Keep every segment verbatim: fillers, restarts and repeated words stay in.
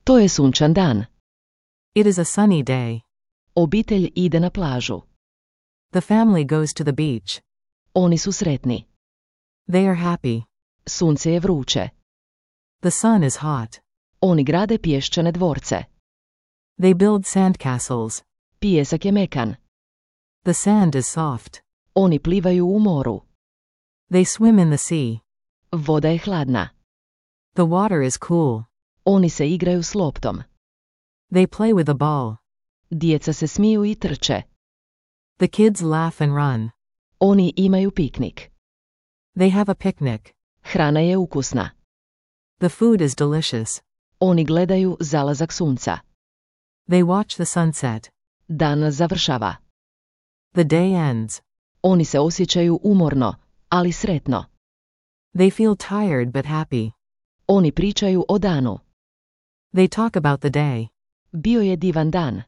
To je sunčan dan. It is a sunny day. Obitelj ide na plažu. The family goes to the beach. Oni su sretni. They are happy. Sunce je vruće. The sun is hot. Oni grade pješčane dvorce. They build sandcastles. Pijesak je mekan. The sand is soft. Oni plivaju u moru. They swim in the sea. Voda je hladna. The water is cool. Oni se igraju s loptom. They play with a ball. Djeca se smiju i trče. The kids laugh and run. Oni imaju piknik. They have a picnic. Hrana je ukusna. The food is delicious. Oni gledaju zalazak sunca. They watch the sunset. Dan završava. The day ends. Oni se osjećaju umorno, ali sretno. They feel tired but happy. Oni pričaju o danu. They talk about the day. Bio je divan dan.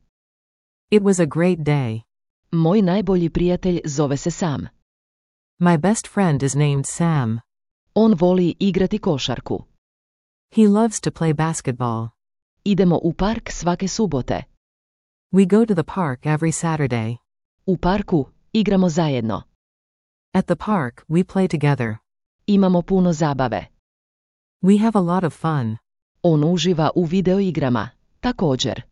It was a great day. Moj najbolji prijatelj zove se Sam. My best friend is named Sam. On voli igrati košarku. He loves to play basketball. Idemo u park svake subote. We go to the park every Saturday. U parku igramo zajedno. At the park, we play together. Imamo puno zabave. We have a lot of fun. On uživa u videoigrama, također.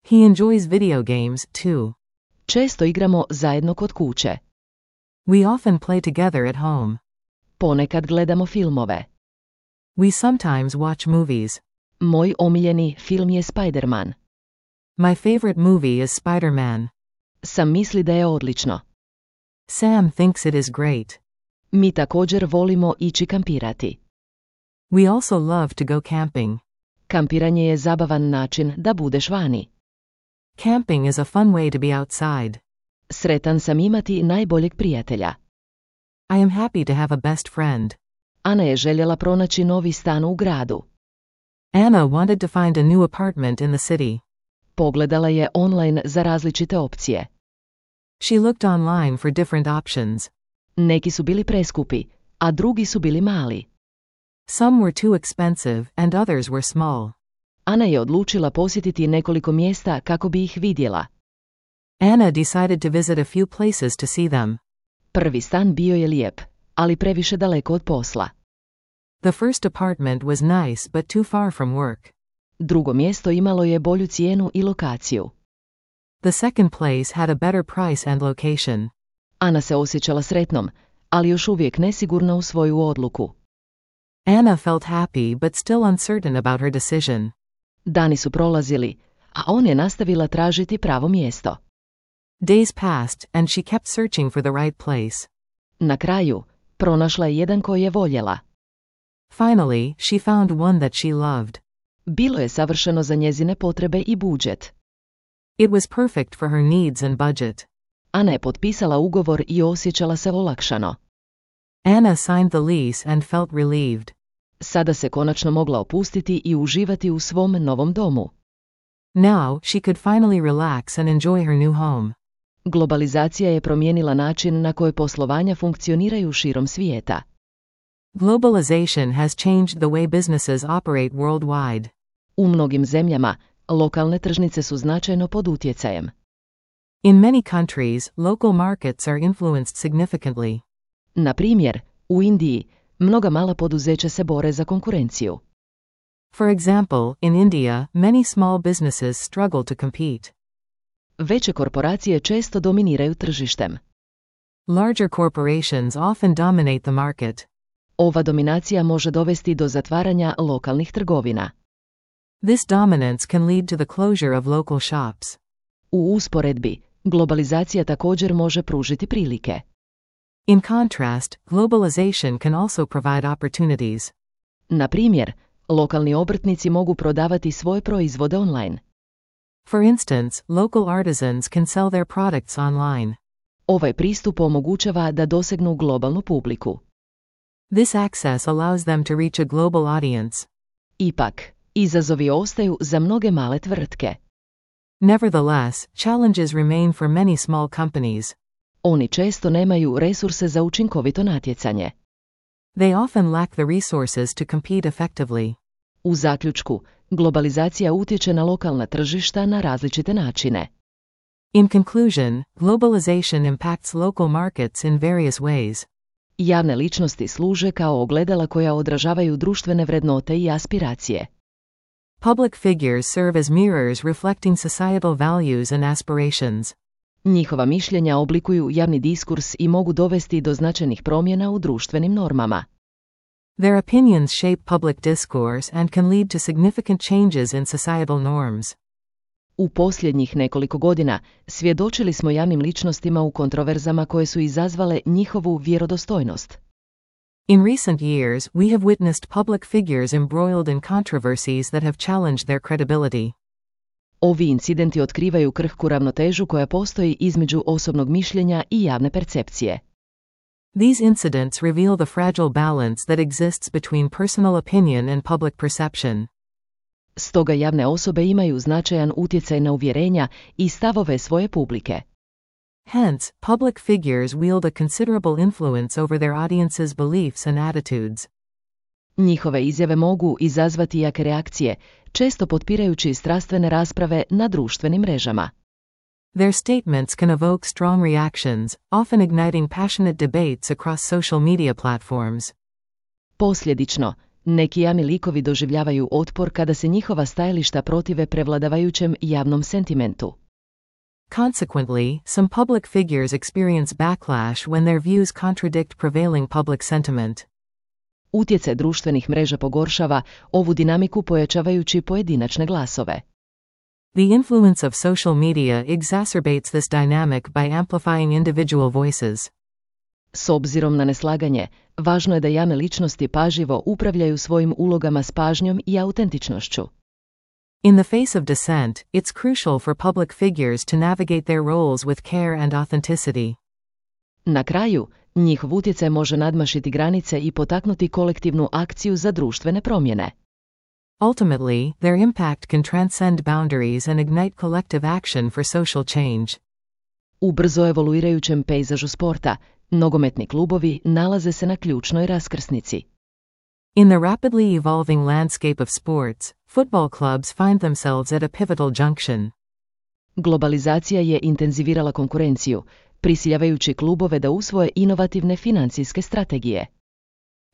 He enjoys video games, too. Često igramo zajedno kod kuće. We often play together at home. Ponekad gledamo filmove. We sometimes watch movies. Moj omiljeni film je Spider-Man. My favorite movie is Spider-Man. Sam misli da je odlično. Sam thinks it is great. Mi također volimo ići kampirati. We also love to go camping. Kampiranje je zabavan način da budeš vani. Camping is a fun way to be outside. Sretan sam imati najboljeg prijatelja. I am happy to have a best friend. Ana je željela pronaći novi stan u gradu. Anna wanted to find a new apartment in the city. Pogledala je online za različite opcije. She looked online for different options. Neki su bili preskupi, a drugi su bili mali. Some were too expensive and others were small. Ana je odlučila posjetiti nekoliko mjesta kako bi ih vidjela. Anna decided to visit a few places to see them. Prvi stan bio je lijep, ali previše daleko od posla. The first apartment was nice but too far from work. Drugo mjesto imalo je bolju cijenu i lokaciju. The second place had a better price and location. Ana se osjećala sretnom, ali još uvijek nesigurna u svoju odluku. Anna felt happy but still uncertain about her decision. Dani su prolazili, a on je nastavila tražiti pravo mjesto. Days passed and she kept searching for the right place. Na kraju, pronašla je jedan koji je voljela. Finally, she found one that she loved. Bilo je savršeno za njezine potrebe i budžet. It was perfect for her needs and budget. Ana je potpisala ugovor i osjećala se olakšano. Anna signed the lease and felt relieved. Sada se konačno mogla opustiti i uživati u svom novom domu. Now, she could finally relax and enjoy her new home. Globalizacija je promijenila način na koji poslovanja funkcioniraju širom svijeta. Globalization has changed the way businesses operate worldwide. U mnogim zemljama, lokalne tržnice su značajno pod utjecajem. In many countries, local markets are influenced significantly. Na primjer, u Indiji, mnoga mala poduzeća se bore za konkurenciju. For example, in India, many small businesses struggle to compete. Veće korporacije često dominiraju tržištem. Larger corporations often dominate the market. Ova dominacija može dovesti do zatvaranja lokalnih trgovina. This dominance can lead to the closure of local shops. U usporedbi, globalizacija također može pružiti prilike. In contrast, globalization can also provide opportunities. Na primjer, lokalni obrtnici mogu prodavati svoje proizvode online. For instance, local artisans can sell their products online. Ovaj pristup omogućava da dosegnu globalnu publiku. This access allows them to reach a global audience. Ipak, izazovi ostaju za mnoge male tvrtke. Nevertheless, challenges remain for many small companies. Oni često nemaju resurse za učinkovito natjecanje. They often lack the resources to compete effectively. U zaključku, Globalizacija utječe na lokalna tržišta na različite načine. In conclusion, globalization impacts local markets in various ways. Javne ličnosti služe kao ogledala koja odražavaju društvene vrednote i aspiracije. Public figures serve as mirrors reflecting societal values and aspirations. Njihova mišljenja oblikuju javni diskurs i mogu dovesti do značajnih promjena u društvenim normama. Their opinions shape public discourse and can lead to significant changes in societal norms. U posljednjih nekoliko godina svjedočili smo javnim ličnostima u kontroverzama koje su izazvale njihovu vjerodostojnost. In recent years, we have witnessed public figures embroiled in controversies that have challenged their credibility. Ovi incidenti otkrivaju krhku ravnotežu koja postoji između osobnog mišljenja i javne percepcije. These incidents reveal the fragile balance that exists between personal opinion and public perception. Stoga javne osobe imaju značajan utjecaj na uvjerenja i stavove svoje publike. Hence, public figures wield a considerable influence over their audience's beliefs and attitudes. Njihove izjave mogu izazvati jake reakcije, često potpirajući strastvene rasprave na društvenim mrežama. Their statements can evoke strong reactions, often igniting passionate debates across social media platforms. Posljedično, neki javni likovi doživljavaju otpor kada se njihova stajališta protive prevladavajućem javnom sentimentu. Consequently, some public figures experience backlash when their views contradict prevailing public sentiment. Utjecaj društvenih mreža pogoršava ovu dinamiku pojačavajući pojedinačne glasove. The influence of social media exacerbates this dynamic by amplifying individual voices. S obzirom na neslaganje, važno je da javne ličnosti pažljivo upravljaju svojim ulogama s pažnjom i autentičnošću. In the face of dissent, it's crucial for public figures to navigate their roles with care and authenticity. Na kraju, njihov utjecaj može nadmašiti granice i potaknuti kolektivnu akciju za društvene promjene. Ultimately, their impact can transcend boundaries and ignite collective action for social change. U brzo evoluirajućem pejzažu sporta, nogometni klubovi nalaze se na ključnoj raskrsnici. In the rapidly evolving landscape of sports, football clubs find themselves at a pivotal junction. Globalizacija je intenzivirala konkurenciju, prisiljavajući klubove da usvoje inovativne financijske strategije.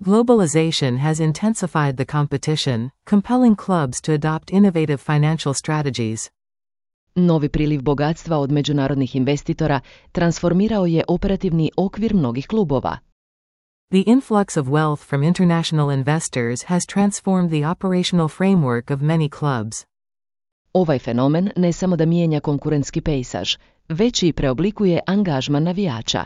Globalization has intensified the competition, compelling clubs to adopt innovative financial strategies. Novi priliv bogatstva od međunarodnih investitora transformirao je operativni okvir mnogih klubova. The influx of wealth from international investors has transformed the operational framework of many clubs. Ovaj fenomen ne samo da mijenja konkurentski pejsaž, već i preoblikuje angažman navijača.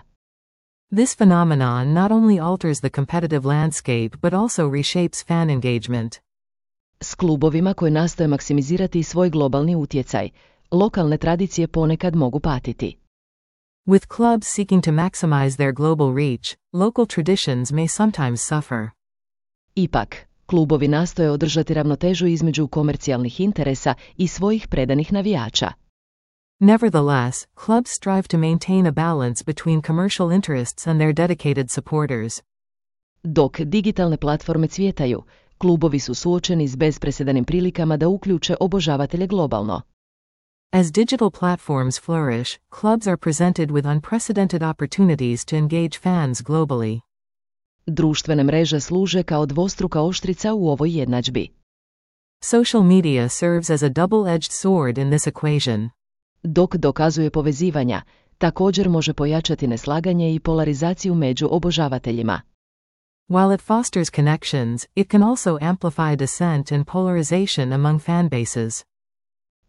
This phenomenon not only alters the competitive landscape but also reshapes fan engagement. S klubovima koji nastoje maksimizirati svoj globalni utjecaj, lokalne tradicije ponekad mogu patiti. With clubs seeking to maximize their global reach, local traditions may sometimes suffer. Ipak, klubovi nastoje održati ravnotežu između komercijalnih interesa i svojih predanih navijača. Nevertheless, clubs strive to maintain a balance between commercial interests and their dedicated supporters. Dok digitalne platforme cvjetaju, klubovi su suočeni s bezpresedanim prilikama da uključe obožavatelje globalno. As digital platforms flourish, clubs are presented with unprecedented opportunities to engage fans globally. Društvene mreže služe kao dvostruka oštrica u ovoj jednadžbi. Social media serves as a double-edged sword in this equation. Dok dokazuje povezivanja, također može pojačati neslaganje i polarizaciju među obožavateljima. While it fosters connections, it can also amplify dissent and polarization among fanbases.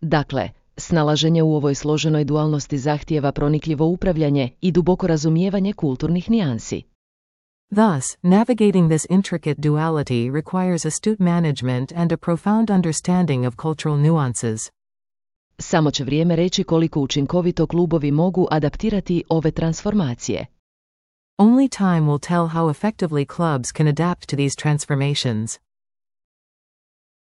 Dakle, snalaženje u ovoj složenoj dualnosti zahtijeva pronikljivo upravljanje i duboko razumijevanje kulturnih nijansi. Thus, navigating this intricate duality requires astute management and a profound understanding of cultural nuances. Samo će vrijeme reći koliko učinkovito klubovi mogu adaptirati ove transformacije. Only time will tell how effectively clubs can adapt to these transformations.